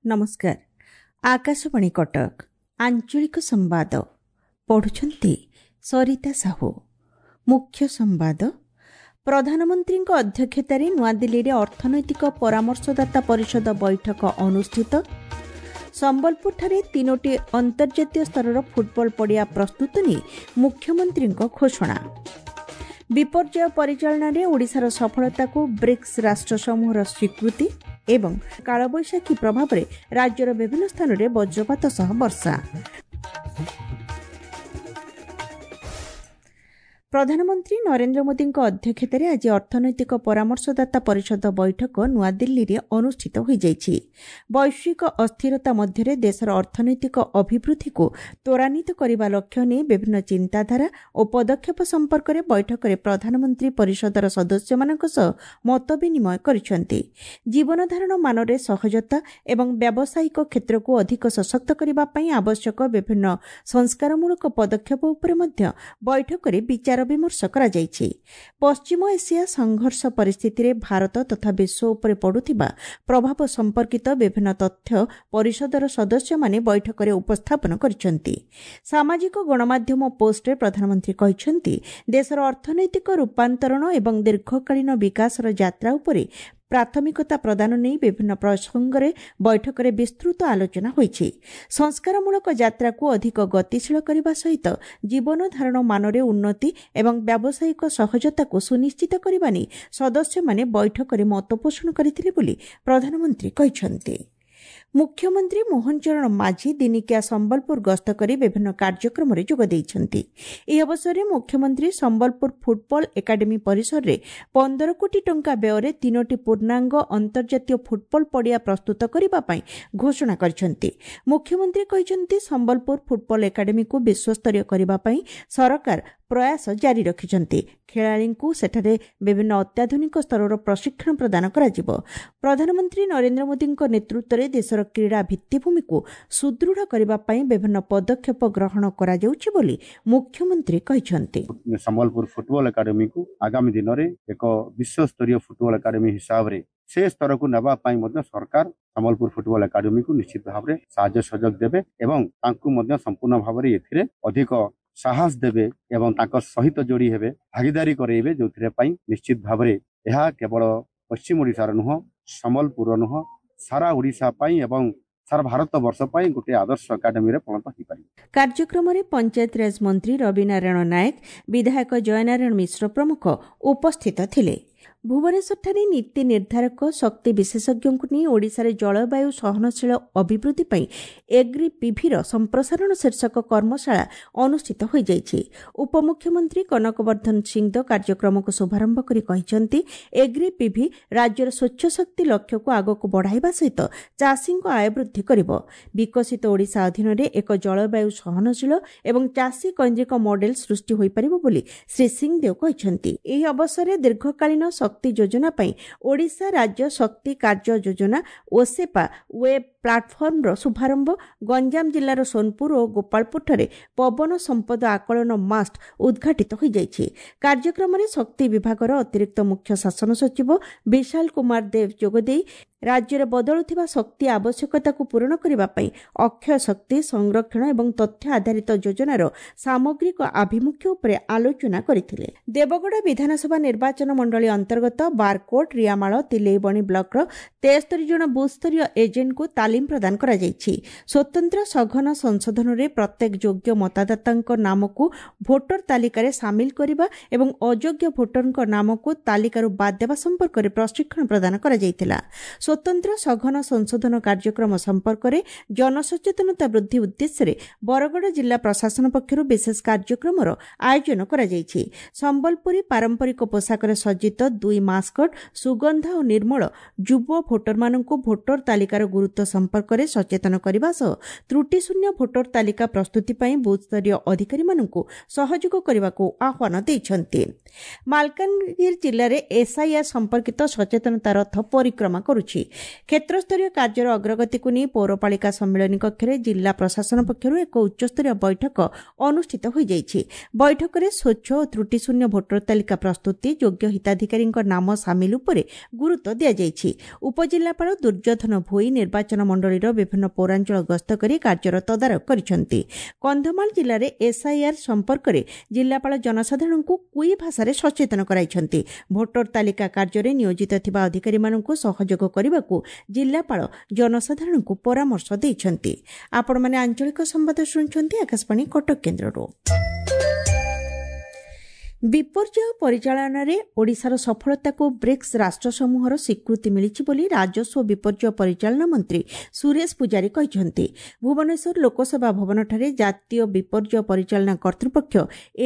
ନମସ୍କାର, ଆକାଶବାଣୀ କଟକ, ଆଞ୍ଚଳିକ ସମ୍ବାଦ ପଢୁଛନ୍ତି ସରିତା ସାହୁ। ମୁଖ୍ୟ ସମ୍ବାଦ। ପ୍ରଧାନମନ୍ତ୍ରୀଙ୍କ ଅଧ୍ୟକ୍ଷତାରେ ନୂଆଦିଲ୍ଲୀରେ ଅର୍ଥନୈତିକ ପରାମର୍ଶଦାତା ପରିଷଦ ବୈଠକ ଅନୁଷ୍ଠିତ। ସମ୍ବଲପୁରଠାରେ ତିନୋଟି ଅନ୍ତର୍ଜାତୀୟ ସ୍ତରର ଫୁଟବଲ ପଡ଼ିଆ ପ୍ରସ୍ତୁତ ନେଇ ମୁଖ୍ୟମନ୍ତ୍ରୀଙ୍କ ଘୋଷଣା। ବିପର୍ଯ୍ୟୟ ପରିଚାଳନାରେ ଓଡ଼ିଶାର ସଫଳତାକୁ ବ୍ରିକ୍ସ ରାଷ୍ଟ୍ରସମୂହର ସ୍ୱୀକୃତି ଏବଂ କାଳବୈଶାଖୀ ପ୍ରଭାବରେ ରାଜ୍ୟର ବିଭିନ୍ନ ସ୍ଥାନରେ ବଜ୍ରପାତ ସହ ବର୍ଷା। ପ୍ରଧାନମନ୍ତ୍ରୀ ନରେନ୍ଦ୍ର ମୋଦିଙ୍କ ଅଧ୍ୟକ୍ଷତାରେ ଆଜି ଅର୍ଥନୈତିକ ପରାମର୍ଶଦାତା ପରିଷଦ ବୈଠକ ନୂଆଦିଲ୍ଲୀରେ ଅନୁଷ୍ଠିତ ହୋଇଯାଇଛି। ବୈଶ୍ୱିକ ଅସ୍ଥିରତା ମଧ୍ୟରେ ଦେଶର ଅର୍ଥନୈତିକ ଅଭିବୃଦ୍ଧିକୁ ତ୍ୱରାନ୍ୱିତ କରିବା ଲକ୍ଷ୍ୟ ନେଇ ବିଭିନ୍ନ ଚିନ୍ତାଧାରା ଓ ପଦକ୍ଷେପ ସମ୍ପର୍କରେ ବୈଠକରେ ପ୍ରଧାନମନ୍ତ୍ରୀ ପରିଷଦର ସଦସ୍ୟମାନଙ୍କ ସହ ମତ ବିନିମୟ କରିଛନ୍ତି। ଜୀବନଧାରଣ ମାନରେ ସହଜତା ଏବଂ ବ୍ୟାବସାୟିକ କ୍ଷେତ୍ରକୁ ଅଧିକ ସଶକ୍ତ କରିବା ପାଇଁ ଆବଶ୍ୟକ ବିଭିନ୍ନ ସଂସ୍କାରମୂଳକ ପଦକ୍ଷେପ ଉପରେ ମଧ୍ୟ ବୈଠକରେ ବିଚାର ବିମର୍ଶ କରାଯାଇଛି। ପଶ୍ଚିମ ଏସିଆ ସଂଘର୍ଷ ପରିସ୍ଥିତିରେ ଭାରତ ତଥା ବିଶ୍ୱ ଉପରେ ପଡ଼ୁଥିବା ପ୍ରଭାବ ସମ୍ପର୍କିତ ବିଭିନ୍ନ ତଥ୍ୟ ପରିଷଦର ସଦସ୍ୟମାନେ ବୈଠକରେ ଉପସ୍ଥାପନ କରିଛନ୍ତି। ସାମାଜିକ ଗଣମାଧ୍ୟମ ପୋଷ୍ଟରେ ପ୍ରଧାନମନ୍ତ୍ରୀ କହିଛନ୍ତି, ଦେଶର ଅର୍ଥନୈତିକ ରୂପାନ୍ତରଣ ଏବଂ ଦୀର୍ଘକାଳୀନ ବିକାଶର ଯାତ୍ରା ଉପରେ ପ୍ରାଥମିକତା ପ୍ରଦାନ ନେଇ ବିଭିନ୍ନ ପ୍ରସଙ୍ଗରେ ବୈଠକରେ ବିସ୍ତୃତ ଆଲୋଚନା ହୋଇଛି। ସଂସ୍କାରମୂଳକ ଯାତ୍ରାକୁ ଅଧିକ ଗତିଶୀଳ କରିବା ସହିତ ଜୀବନଧାରଣ ମାନରେ ଉନ୍ନତି ଏବଂ ବ୍ୟାବସାୟିକ ସହଜତାକୁ ସୁନିଶ୍ଚିତ କରିବା ନେଇ ସଦସ୍ୟମାନେ ବୈଠକରେ ମତପୋଷଣ କରିଥିଲେ ବୋଲି ପ୍ରଧାନମନ୍ତ୍ରୀ କହିଛନ୍ତି। ମୁଖ୍ୟମନ୍ତ୍ରୀ ମୋହନ ଚରଣ ମାଝୀ ଦିନିକିଆ ସମ୍ବଲପୁର ଗସ୍ତ କରି ବିଭିନ୍ନ କାର୍ଯ୍ୟକ୍ରମରେ ଯୋଗ ଦେଇଛନ୍ତି। ଏହି ଅବସରରେ ମୁଖ୍ୟମନ୍ତ୍ରୀ ସମ୍ବଲପୁର ଫୁଟବଲ ଏକାଡେମୀ ପରିସରରେ 15 କୋଟି ଟଙ୍କା ବ୍ୟୟରେ ତିନୋଟି ପୂର୍ଣ୍ଣାଙ୍ଗ ଅନ୍ତର୍ଜାତୀୟ ଫୁଟବଲ ପଡ଼ିଆ ପ୍ରସ୍ତୁତ କରିବା ପାଇଁ ଘୋଷଣା କରିଛନ୍ତି। ମୁଖ୍ୟମନ୍ତ୍ରୀ କହିଛନ୍ତି, ସମ୍ବଲପୁର ଫୁଟବଲ ଏକାଡେମୀକୁ ବିଶ୍ୱସ୍ତରୀୟ କରିବା ପାଇଁ ସରକାର ପ୍ରୟାସ ଜାରି ରଖିଛନ୍ତି। ଖେଳାଳିଙ୍କୁ ସେଠାରେ ବିଭିନ୍ନ ଅତ୍ୟାଧୁନିକ ସ୍ତରର ପ୍ରଶିକ୍ଷଣ ପ୍ରଦାନ କରାଯିବ। ପ୍ରଧାନମନ୍ତ୍ରୀ ନରେନ୍ଦ୍ର ମୋଦିଙ୍କ ନେତୃତ୍ୱରେ ଦେଶର କ୍ରୀଡ଼ା ଭିତ୍ତିଭୂମିକୁ ସୁଦୃଢ଼ କରିବା ପାଇଁ ବିଭିନ୍ନ ପଦକ୍ଷେପ ଗ୍ରହଣ କରାଯାଉଛି ବୋଲି ମୁଖ୍ୟମନ୍ତ୍ରୀ କହିଛନ୍ତି। ସମ୍ବଲପୁର ଫୁଟବଲ ଏକାଡେମୀକୁ ଆଗାମୀ ଦିନରେ ଏକ ବିଶ୍ୱସ୍ତରୀୟ ଫୁଟବଲ ଏକାଡେମୀ ହିସାବରେ ସେ ସ୍ତରକୁ ନେବା ପାଇଁ ମଧ୍ୟ ସରକାର ସମ୍ବଲପୁର ଫୁଟବଲ ଏକାଡେମୀକୁ ନିଶ୍ଚିତ ଭାବରେ ସାହାଯ୍ୟ ସହଯୋଗ ଦେବେ ଏବଂ ତାଙ୍କୁ ମଧ୍ୟ ସମ୍ପୂର୍ଣ୍ଣ ଭାବରେ ଏଥିରେ ଅଧିକ ସାହସ ଦେବେ ଏବଂ ତାଙ୍କ ସହିତ ଯୋଡ଼ି ହେବେ, ଭାଗିଦାରୀ କରାଇବେ, ଯେଉଁଥିରେ ପାଇଁ ନିଶ୍ଚିତ ଭାବରେ ଏହା କେବଳ ପଶ୍ଚିମ ଓଡ଼ିଶାର ନୁହଁ, ସମ୍ବଲପୁରର ନୁହଁ, ସାରା ଓଡ଼ିଶା ପାଇଁ ଏବଂ ସାରା ଭାରତ ବର୍ଷ ପାଇଁ ଗୋଟିଏ ଆଦର୍ଶ ଏକାଡେମୀରେ ପରିଣତ ହୋଇପାରିବ। କାର୍ଯ୍ୟକ୍ରମରେ ପଞ୍ଚାୟତିରାଜ ମନ୍ତ୍ରୀ ରବିନାରାୟଣ ନାୟକ, ବିଧାୟକ ଜୟନାରାୟଣ ମିଶ୍ର ପ୍ରମୁଖ ଉପସ୍ଥିତ ଥିଲେ। ଭୁବନେଶ୍ୱରଠାରେ ନୀତି ନିର୍ଦ୍ଧାରକ, ଶକ୍ତି ବିଶେଷଜ୍ଞଙ୍କୁ ନେଇ ଓଡ଼ିଶାରେ ଜଳବାୟୁ ସହନଶୀଳ ଅଭିବୃଦ୍ଧି ପାଇଁ ଏଗ୍ରି ପିଭିର ସମ୍ପ୍ରସାରଣ ଶୀର୍ଷକ କର୍ମଶାଳା ଅନୁଷ୍ଠିତ ହୋଇଯାଇଛି। ଉପମୁଖ୍ୟମନ୍ତ୍ରୀ କନକବର୍ଦ୍ଧନ ସିଂଦେଓ କାର୍ଯ୍ୟକ୍ରମକୁ ଶୁଭାରମ୍ଭ କରି କହିଛନ୍ତି, ଏଗ୍ରି ପିଭି ରାଜ୍ୟର ସ୍ୱଚ୍ଛ ଶକ୍ତି ଲକ୍ଷ୍ୟକୁ ଆଗକୁ ବଢ଼ାଇବା ସହିତ ଚାଷୀଙ୍କ ଆୟ ବୃଦ୍ଧି କରିବ। ବିକଶିତ ଓଡ଼ିଶା ଅଧୀନରେ ଏକ ଜଳବାୟୁ ସହନଶୀଳ ଏବଂ ଚାଷୀ କୈନ୍ଦ୍ରିକ ମଡେଲ ସୃଷ୍ଟି ହୋଇପାରିବ ବୋଲି ଶ୍ରୀ ସିଂଦେଓ କହିଛନ୍ତି। ଏହି ଅବସରରେ ଦୀର୍ଘକାଳୀନ ଶକ୍ତି ଯୋଜନା ପାଇଁ ଓଡ଼ିଶା ରାଜ୍ୟ ଶକ୍ତି କାର୍ଯ୍ୟ ଯୋଜନା ଓସେପା ୱେବ୍ ପ୍ଲାଟଫର୍ମର ଶୁଭାରମ୍ଭ, ଗଞ୍ଜାମ ଜିଲ୍ଲାର ସୋନପୁର ଓ ଗୋପାଳପୁରଠାରେ ପବନ ସମ୍ପଦ ଆକଳନ ମାଷ୍ଟ ଉଦ୍ଘାଟିତ ହୋଇଯାଇଛି। କାର୍ଯ୍ୟକ୍ରମରେ ଶକ୍ତି ବିଭାଗର ଅତିରିକ୍ତ ମୁଖ୍ୟ ଶାସନ ସଚିବ ବିଶାଲ କୁମାର ଦେବ ଯୋଗଦେଇ ରାଜ୍ୟରେ ବଦଳୁଥିବା ଶକ୍ତି ଆବଶ୍ୟକତାକୁ ପୂରଣ କରିବା ପାଇଁ ଅକ୍ଷୟ ଶକ୍ତି ସଂରକ୍ଷଣ ଏବଂ ତଥ୍ୟ ଆଧାରିତ ଯୋଜନାର ସାମଗ୍ରିକ ଆଭିମୁଖ୍ୟ ଉପରେ ଆଲୋଚନା କରିଥିଲେ। ଦେବଗଡ଼ ବିଧାନସଭା ନିର୍ବାଚନ ମଣ୍ଡଳୀ ଅନ୍ତର୍ଗତ ବାରକୋଟ, ରିଆମାଳ, ତିଲେଇବଣି ବ୍ଲକର 73 ଜଣ ବୁଥସ୍ତରୀୟ ଏଜେଣ୍ଟଙ୍କୁ ତାଲିମ ପ୍ରଦାନ କରାଯାଇଛି। ସ୍ୱତନ୍ତ୍ର ସଘନ ସଂଶୋଧନରେ ପ୍ରତ୍ୟେକ ଯୋଗ୍ୟ ମତଦାତାଙ୍କ ନାମକୁ ଭୋଟର ତାଲିକାରେ ସାମିଲ କରିବା ଏବଂ ଅଯୋଗ୍ୟ ଭୋଟରଙ୍କ ନାମକୁ ତାଲିକାରୁ ବାଦ୍ ଦେବା ସମ୍ପର୍କରେ ପ୍ରଶିକ୍ଷଣ ପ୍ରଦାନ କରାଯାଇଥିଲା। ସ୍ୱତନ୍ତ୍ର ସଘନ ସଂଶୋଧନ କାର୍ଯ୍ୟକ୍ରମ ସମ୍ପର୍କରେ ଜନସଚେତନତା ବୃଦ୍ଧି ଉଦ୍ଦେଶ୍ୟରେ ବରଗଡ଼ ଜିଲ୍ଲା ପ୍ରଶାସନ ପକ୍ଷରୁ ବିଶେଷ କାର୍ଯ୍ୟକ୍ରମର ଆୟୋଜନ କରାଯାଇଛି। ସମ୍ବଲପୁରୀ ପାରମ୍ପରିକ ପୋଷାକରେ ସଜ୍ଜିତ ଦୁଇ ମାସ୍କଟ ସୁଗନ୍ଧା ଓ ନିର୍ମଳ ଯୁବ ଭୋଟରମାନଙ୍କୁ ଭୋଟର ତାଲିକାର ଗୁରୁତ୍ୱ ସମ୍ପର୍କରେ ସଚେତନ କରିବା ସହ ତ୍ରୁଟିଶୂନ୍ୟ ଭୋଟର ତାଲିକା ପ୍ରସ୍ତୁତି ପାଇଁ ବୁଥ୍ସ୍ତରୀୟ ଅଧିକାରୀମାନଙ୍କୁ ସହଯୋଗ କରିବାକୁ ଆହ୍ୱାନ ଦେଇଛନ୍ତି। ମାଲକାନଗିରି ଜିଲ୍ଲାରେ ଏସ୍ଆଇଆର୍ ସମ୍ପର୍କିତ ସଚେତନତା ରଥ ପରିକ୍ରମା କରୁଛି। କ୍ଷେତ୍ରସ୍ତରୀୟ କାର୍ଯ୍ୟର ଅଗ୍ରଗତିକୁ ନେଇ ପୌରପାଳିକା ସମ୍ମିଳନୀ କକ୍ଷରେ ଜିଲ୍ଲା ପ୍ରଶାସନ ପକ୍ଷରୁ ଏକ ଉଚ୍ଚସ୍ତରୀୟ ବୈଠକ ଅନୁଷ୍ଠିତ ହୋଇଯାଇଛି। ବୈଠକରେ ସ୍ୱଚ୍ଛ ଓ ତ୍ରୁଟିଶୂନ୍ୟ ଭୋଟର ତାଲିକା ପ୍ରସ୍ତୁତି, ଯୋଗ୍ୟ ହିତାଧିକାରୀଙ୍କ ନାମ ସାମିଲ ଉପରେ ଗୁରୁତ୍ୱ ଦିଆଯାଇଛି। ଉପଜିଲ୍ଲାପାଳ ଦୁର୍ଯ୍ୟୋଧନ ଭୋଇ ନିର୍ବାଚନ ମଣ୍ଡଳୀର ବିଭିନ୍ନ ପୌରାଞ୍ଚଳ ଗସ୍ତ କରି କାର୍ଯ୍ୟର ତଦାରଖ କରିଛନ୍ତି। କନ୍ଧମାଳ ଜିଲ୍ଲାରେ ଏସ୍ଆଇଆର୍ ସମ୍ପର୍କରେ ଜିଲ୍ଲାପାଳ ଜନସାଧାରଣଙ୍କୁ କୁଇ ଭାଷାରେ ସଚେତନ କରାଇଛନ୍ତି। ଭୋଟର ତାଲିକା କାର୍ଯ୍ୟରେ ନିୟୋଜିତ ଥିବା ଅଧିକାରୀମାନଙ୍କୁ ସହଯୋଗ କରିବାକୁ ଜିଲ୍ଲାପାଳ ଜନସାଧାରଣଙ୍କୁ ପରାମର୍ଶ ଦେଇଛନ୍ତି। ଆପଣମାନେ ଆଞ୍ଚଳିକ ସମ୍ବାଦ ଶୁଣୁଛନ୍ତି ଆକାଶବାଣୀ କଟକ କେନ୍ଦ୍ରରୁ। ବିପର୍ଯ୍ୟୟ ପରିଚାଳନାରେ ଓଡ଼ିଶାର ସଫଳତାକୁ ବ୍ରିକ୍ସ ରାଷ୍ଟ୍ରସମୂହର ସ୍ୱୀକୃତି ମିଳିଛି ବୋଲି ରାଜସ୍ୱ ବିପର୍ଯ୍ୟୟ ପରିଚାଳନା ମନ୍ତ୍ରୀ ସୁରେଶ ପୂଜାରୀ କହିଛନ୍ତି। ଭୁବନେଶ୍ୱର ଲୋକସେବା ଭବନଠାରେ ଜାତୀୟ ବିପର୍ଯ୍ୟୟ ପରିଚାଳନା କର୍ତ୍ତୃପକ୍ଷ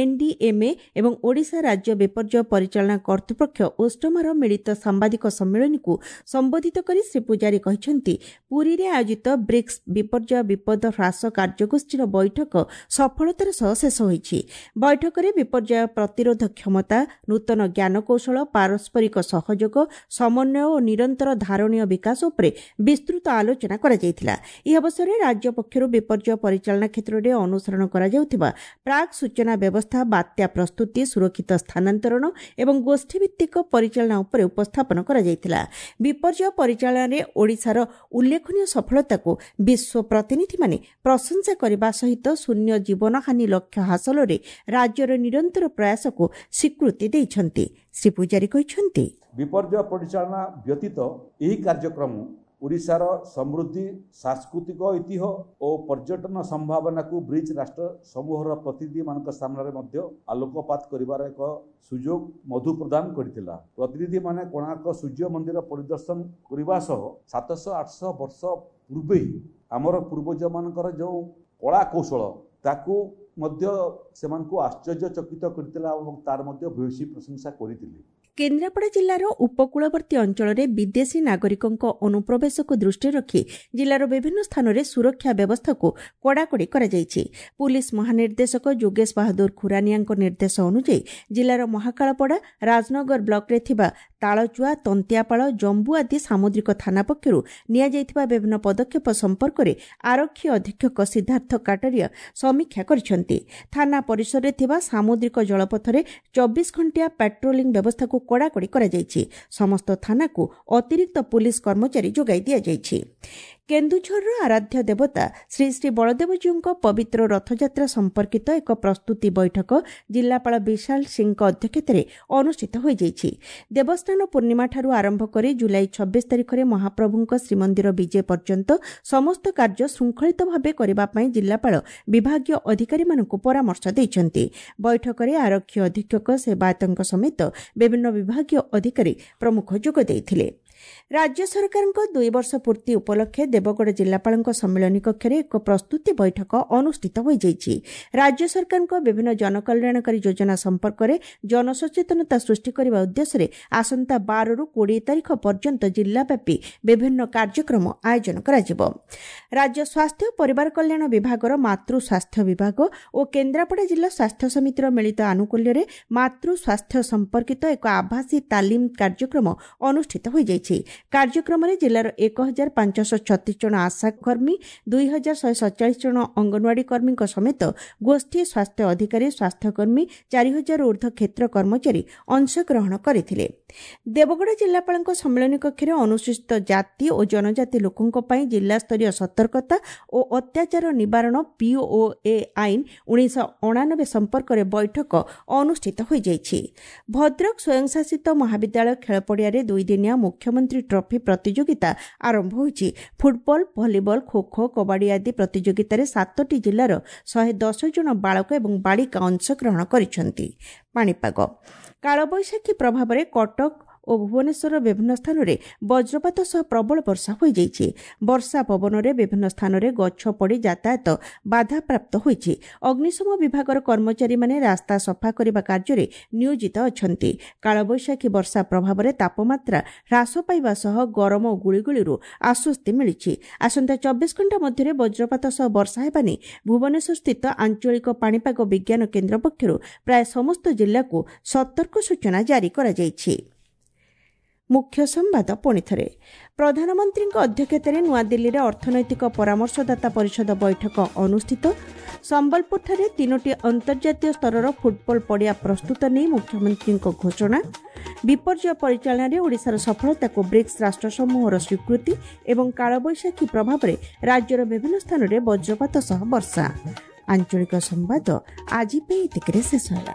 ଏନ୍ଡିଏମ୍ଏ ଏବଂ ଓଡ଼ିଶା ରାଜ୍ୟ ବିପର୍ଯ୍ୟୟ ପରିଚାଳନା କର୍ତ୍ତୃପକ୍ଷ ଓଷ୍ଟମାର ମିଳିତ ସାମ୍ବାଦିକ ସମ୍ମିଳନୀକୁ ସମ୍ବୋଧିତ କରି ଶ୍ରୀ ପୂଜାରୀ କହିଛନ୍ତି, ପୁରୀରେ ଆୟୋଜିତ ବ୍ରିକ୍ସ ବିପର୍ଯ୍ୟୟ ବିପଦ ହ୍ରାସ କାର୍ଯ୍ୟଗୋଷ୍ଠୀର ବୈଠକ ସଫଳତାର ସହ ଶେଷ ହୋଇଛି। ବୈଠକରେ ବିପର୍ଯ୍ୟୟ ପ୍ରତିରୋଧ କ୍ଷମତା, ନୂତନ ଜ୍ଞାନକୌଶଳ, ପାରସ୍ପରିକ ସହଯୋଗ, ସମନ୍ୱୟ ଓ ନିରନ୍ତର ଧାରଣୀୟ ବିକାଶ ଉପରେ ବିସ୍ତୃତ ଆଲୋଚନା କରାଯାଇଥିଲା। ଏହି ଅବସରରେ ରାଜ୍ୟ ପକ୍ଷରୁ ବିପର୍ଯ୍ୟୟ ପରିଚାଳନା କ୍ଷେତ୍ରରେ ଅନୁସରଣ କରାଯାଉଥିବା ପ୍ରାକ୍ ସୂଚନା ବ୍ୟବସ୍ଥା, ବାତ୍ୟା ପ୍ରସ୍ତୁତି, ସୁରକ୍ଷିତ ସ୍ଥାନାନ୍ତରଣ ଏବଂ ଗୋଷ୍ଠୀଭିତ୍ତିକ ପରିଚାଳନା ଉପରେ ଉପସ୍ଥାପନ କରାଯାଇଥିଲା। ବିପର୍ଯ୍ୟୟ ପରିଚାଳନାରେ ଓଡ଼ିଶାର ଉଲ୍ଲେଖନୀୟ ସଫଳତାକୁ ବିଶ୍ୱ ପ୍ରତିନିଧିମାନେ ପ୍ରଶଂସା କରିବା ସହିତ ଶୂନ୍ୟ ଜୀବନହାନି ଲକ୍ଷ୍ୟ ହାସଲରେ ରାଜ୍ୟର ନିରନ୍ତର ପ୍ରୟାସକୁ ସ୍ୱୀକୃତି ଦେଇଛନ୍ତି। ଶ୍ରୀ ପୂଜାରୀ କହିଛନ୍ତି, ବିପର୍ଯ୍ୟୟ ପରିଚାଳନା ବ୍ୟତୀତ ଏହି କାର୍ଯ୍ୟକ୍ରମ ଓଡ଼ିଶାର ସମୃଦ୍ଧି, ସାଂସ୍କୃତିକ ଐତିହ୍ୟ ଓ ପର୍ଯ୍ୟଟନ ସମ୍ଭାବନାକୁ ବ୍ରିକ୍ସ ରାଷ୍ଟ୍ର ସମୂହର ପ୍ରତିନିଧିମାନଙ୍କ ସାମ୍ନାରେ ମଧ୍ୟ ଆଲୋକପାତ କରିବାର ଏକ ସୁଯୋଗ ମଧୁ ପ୍ରଦାନ କରିଥିଲା। ପ୍ରତିନିଧିମାନେ କୋଣାର୍କ ସୂର୍ଯ୍ୟ ମନ୍ଦିର ପରିଦର୍ଶନ କରିବା ସହ 700-800 ବର୍ଷ ପୂର୍ବେ ଆମର ପୂର୍ବଜମାନଙ୍କର ଯେଉଁ କଳା କୌଶଳ ତାକୁ ମଧ୍ୟ ସେମାନଙ୍କୁ ଆଶ୍ଚର୍ଯ୍ୟଚକିତ କରିଥିଲା ଏବଂ ତାର ମଧ୍ୟ ଭୂୟସୀ ପ୍ରଶଂସା କରିଥିଲେ। କେନ୍ଦ୍ରାପଡ଼ା ଜିଲ୍ଲାର ଉପକୂଳବର୍ତ୍ତୀ ଅଞ୍ଚଳରେ ବିଦେଶୀ ନାଗରିକଙ୍କ ଅନୁପ୍ରବେଶକୁ ଦୃଷ୍ଟିରେ ରଖି ଜିଲ୍ଲାର ବିଭିନ୍ନ ସ୍ଥାନରେ ସୁରକ୍ଷା ବ୍ୟବସ୍ଥାକୁ କଡ଼ାକଡ଼ି କରାଯାଇଛି। ପୁଲିସ୍ ମହାନିର୍ଦ୍ଦେଶକ ଯୋଗେଶ ବାହାଦୁର ଖୁରାନିଆଙ୍କ ନିର୍ଦ୍ଦେଶ ଅନୁଯାୟୀ ଜିଲ୍ଲାର ମହାକାଳପଡ଼ା, ରାଜନଗର ବ୍ଲକରେ ଥିବା ତାଳଚୁଆ, ତନ୍ତିଆପାଳ, ଜମ୍ବୁ ଆଦି ସାମୁଦ୍ରିକ ଥାନା ପକ୍ଷରୁ ନିଆଯାଇଥିବା ବିଭିନ୍ନ ପଦକ୍ଷେପ ସମ୍ପର୍କରେ ଆରକ୍ଷୀ ଅଧୀକ୍ଷକ ସିଦ୍ଧାର୍ଥ କାଟରିଆ ସମୀକ୍ଷା କରିଛନ୍ତି। ଥାନା ପରିସରରେ ଥିବା ସାମୁଦ୍ରିକ ଜଳପଥରେ 24 ଘଣ୍ଟିଆ ପାଟ୍ରୋଲିଂ ବ୍ୟବସ୍ଥାକୁ କଡ଼ାକଡ଼ି କରାଯାଇଛି। ସମସ୍ତ ଥାନାକୁ ଅତିରିକ୍ତ ପୁଲିସ୍ କର୍ମଚାରୀ ଯୋଗାଇ ଦିଆଯାଇଛି। କେନ୍ଦୁଝରର ଆରାଧ୍ୟ ଦେବତା ଶ୍ରୀ ଶ୍ରୀ ବଳଦେବଜୀଉଙ୍କ ପବିତ୍ର ରଥଯାତ୍ରା ସମ୍ପର୍କିତ ଏକ ପ୍ରସ୍ତୁତି ବୈଠକ ଜିଲ୍ଲାପାଳ ବିଶାଲ ସିଂଙ୍କ ଅଧ୍ୟକ୍ଷତାରେ ଅନୁଷ୍ଠିତ ହୋଇଯାଇଛି। ଦେବସ୍ନାନ ପୂର୍ଣ୍ଣିମାଠାରୁ ଆରମ୍ଭ କରି ଜୁଲାଇ 26 ତାରିଖରେ ମହାପ୍ରଭୁଙ୍କ ଶ୍ରୀମନ୍ଦିର ବିଜେ ପର୍ଯ୍ୟନ୍ତ ସମସ୍ତ କାର୍ଯ୍ୟ ଶୃଙ୍ଖଳିତ ଭାବେ କରିବା ପାଇଁ ଜିଲ୍ଲାପାଳ ବିଭାଗୀୟ ଅଧିକାରୀମାନଙ୍କୁ ପରାମର୍ଶ ଦେଇଛନ୍ତି। ବୈଠକରେ ଆରକ୍ଷୀ ଅଧୀକ୍ଷକ, ସେବାୟତଙ୍କ ସମେତ ବିଭିନ୍ନ ବିଭାଗୀୟ ଅଧିକାରୀ ପ୍ରମୁଖ ଯୋଗ ଦେଇଥିଲେ। ରାଜ୍ୟ ସରକାରଙ୍କ 2 ବର୍ଷ ପୂର୍ତ୍ତି ଉପଲକ୍ଷେ ଦେବଗଡ଼ ଜିଲ୍ଲାପାଳଙ୍କ ସମ୍ମିଳନୀ କକ୍ଷରେ ଏକ ପ୍ରସ୍ତୁତି ବୈଠକ ଅନୁଷ୍ଠିତ ହୋଇଯାଇଛି। ରାଜ୍ୟ ସରକାରଙ୍କ ବିଭିନ୍ନ ଜନକଲ୍ୟାଣକାରୀ ଯୋଜନା ସମ୍ପର୍କରେ ଜନସଚେତନତା ସୃଷ୍ଟି କରିବା ଉଦ୍ଦେଶ୍ୟରେ ଆସନ୍ତା 12ରୁ 20 ତାରିଖ ପର୍ଯ୍ୟନ୍ତ ଜିଲ୍ଲାବ୍ୟାପୀ ବିଭିନ୍ନ କାର୍ଯ୍ୟକ୍ରମ ଆୟୋଜନ କରାଯିବ। ରାଜ୍ୟ ସ୍ୱାସ୍ଥ୍ୟ ଓ ପରିବାର କଲ୍ୟାଣ ବିଭାଗର ମାତୃ ସ୍ୱାସ୍ଥ୍ୟ ବିଭାଗ ଓ କେନ୍ଦ୍ରାପଡ଼ା ଜିଲ୍ଲା ସ୍ୱାସ୍ଥ୍ୟ ସମିତିର ମିଳିତ ଆନୁକୂଲ୍ୟରେ ମାତୃ ସ୍ୱାସ୍ଥ୍ୟ ସମ୍ପର୍କିତ ଏକ ଆଭାସୀ ତାଲିମ କାର୍ଯ୍ୟକ୍ରମ ଅନୁଷ୍ଠିତ ହୋଇଯାଇଛି। କାର୍ଯ୍ୟକ୍ରମରେ ଜିଲ୍ଲାର 1536 ଜଣ ଆଶାକର୍ମୀ, 2147 ଜଣ ଅଙ୍ଗନୱାଡି କର୍ମୀଙ୍କ ସମେତ ଗୋଷ୍ଠୀ ସ୍ୱାସ୍ଥ୍ୟ ଅଧିକାରୀ, ସ୍ୱାସ୍ଥ୍ୟକର୍ମୀ, 4000 ଉର୍ଦ୍ଧ୍ୱ କ୍ଷେତ୍ର କର୍ମଚାରୀ ଅଂଶଗ୍ରହଣ କରିଥିଲେ। ଦେବଗଡ଼ ଜିଲ୍ଲାପାଳଙ୍କ ସମ୍ମିଳନୀ କକ୍ଷରେ ଅନୁସୂଚିତ ଜାତି ଓ ଜନଜାତି ଲୋକଙ୍କ ପାଇଁ ଜିଲ୍ଲାସ୍ତରୀୟ ସତର୍କତା ଓ ଅତ୍ୟାଚାର ନିବାରଣ ପିଓଏ ଆଇନ 1989 ସମ୍ପର୍କରେ ବୈଠକ ଅନୁଷ୍ଠିତ ହୋଇଯାଇଛି। ଭଦ୍ରକ ସ୍ୱୟଂଶାସିତ ମହାବିଦ୍ୟାଳୟ ଖେଳପଡ଼ିଆରେ ଦୁଇଦିନିଆ ମୁଖ୍ୟମନ୍ତ୍ରୀ ଟ୍ରଫି ପ୍ରତିଯୋଗିତା ଆରମ୍ଭ ହୋଇଛି। ଫୁଟବଲ, ଭଲିବଲ, ଖୋଖୋ, କବାଡି ଆଦି ପ୍ରତିଯୋଗିତାରେ 7ଟି ଜିଲ୍ଲାର 110 ଜଣ ବାଳକ ଏବଂ ବାଳିକା ଅଂଶଗ୍ରହଣ କରିଛନ୍ତି। ପାଣିପାଗ କାଳବୈଶାଖୀ ପ୍ରଭାବରେ କଟକ, ଓ ଭୁବନେଶ୍ୱରର ବିଭିନ୍ନ ସ୍ଥାନରେ ବଜ୍ରପାତ ସହ ପ୍ରବଳ ବର୍ଷା ହୋଇଯାଇଛି। ବର୍ଷା ପବନରେ ବିଭିନ୍ନ ସ୍ଥାନରେ ଗଛ ପଡ଼ି ଯାତାୟାତ ବାଧାପ୍ରାପ୍ତ ହୋଇଛି। ଅଗ୍ନିଶମ ବିଭାଗର କର୍ମଚାରୀମାନେ ରାସ୍ତା ସଫା କରିବା କାର୍ଯ୍ୟରେ ନିୟୋଜିତ ଅଛନ୍ତି। କାଳବୈଶାଖୀ ବର୍ଷା ପ୍ରଭାବରେ ତାପମାତ୍ରା ହ୍ରାସ ପାଇବା ସହ ଗରମ ଓ ଗୁଳିଗୁଳିରୁ ଆଶ୍ୱସ୍ତି ମିଳିଛି। ଆସନ୍ତା 24 ଘଣ୍ଟା ମଧ୍ୟରେ ବଜ୍ରପାତ ସହ ବର୍ଷା ହେବା ନେଇ ଭୁବନେଶ୍ୱରସ୍ଥିତ ଆଞ୍ଚଳିକ ପାଣିପାଗ ବିଜ୍ଞାନ କେନ୍ଦ୍ର ପକ୍ଷରୁ ପ୍ରାୟ ସମସ୍ତ ଜିଲ୍ଲାକୁ ସତର୍କ ସୂଚନା ଜାରି କରାଯାଇଛି। ମୁଖ୍ୟ ସମ୍ବାଦ ପୁଣିଥରେ। ପ୍ରଧାନମନ୍ତ୍ରୀଙ୍କ ଅଧ୍ୟକ୍ଷତାରେ ନୂଆଦିଲ୍ଲୀରେ ଅର୍ଥନୈତିକ ପରାମର୍ଶଦାତା ପରିଷଦ ବୈଠକ ଅନୁଷ୍ଠିତ। ସମ୍ବଲପୁରଠାରେ 3ଟି ଅନ୍ତର୍ଜାତୀୟ ସ୍ତରର ଫୁଟବଲ ପଡ଼ିଆ ପ୍ରସ୍ତୁତ ନେଇ ମୁଖ୍ୟମନ୍ତ୍ରୀଙ୍କ ଘୋଷଣା। ବିପର୍ଯ୍ୟୟ ପରିଚାଳନାରେ ଓଡ଼ିଶାର ସଫଳତାକୁ ବ୍ରିକ୍ସ ରାଷ୍ଟ୍ରସମୂହର ସ୍ୱୀକୃତି ଏବଂ କାଳବୈଶାଖୀ ପ୍ରଭାବରେ ରାଜ୍ୟର ବିଭିନ୍ନ ସ୍ଥାନରେ ବଜ୍ରପାତ ସହ ବର୍ଷା। ଆଞ୍ଚଳିକ ସମ୍ବାଦ ଆଜି ପାଇଁ ଏତିକିରେ ଶେଷ ହେଲା।